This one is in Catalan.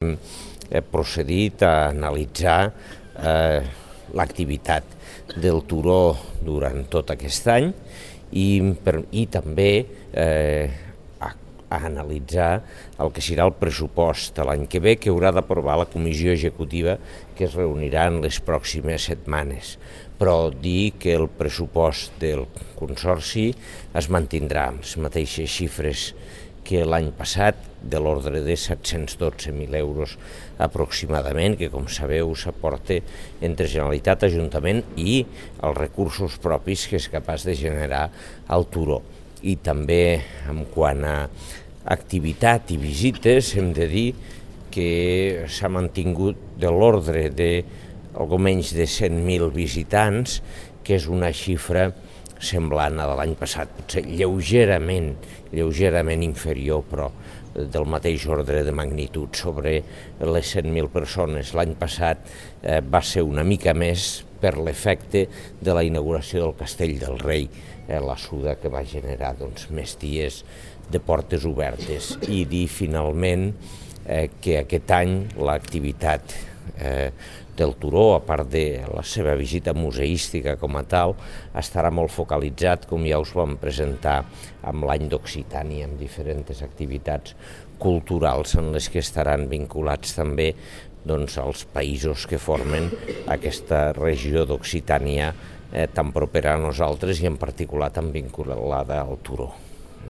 procedit a analitzar l'activitat del turó durant tot aquest any i també a analitzar el que serà el pressupost de l'any que ve, que haurà d'aprovar la comissió executiva que es reunirà en les pròximes setmanes. Però dir que el pressupost del Consorci es mantindrà amb les mateixes xifres que l'any passat, de l'ordre de 712.000 euros aproximadament, que com sabeu s'aporta entre Generalitat, Ajuntament i els recursos propis que és capaç de generar el turó. I també en quant a activitat i visites hem de dir que s'ha mantingut de l'ordre de algo menys de 100.000 visitants, que és una xifra semblant a de l'any passat, potser lleugerament inferior, però del mateix ordre de magnitud, sobre les 100.000 persones. L'any passat va ser una mica més per l'efecte de la inauguració del Castell del Rei, la Suda, que va generar més dies de portes obertes. I dir finalment que aquest any l'activitat del turó, a part de la seva visita museística com a tal, estarà molt focalitzat, com ja us vam presentar amb l'any d'Occitània, amb diferents activitats culturals en les que estaran vinculats també als països que formen aquesta regió d'Occitània tan propera a nosaltres i en particular tan vinculada al turó.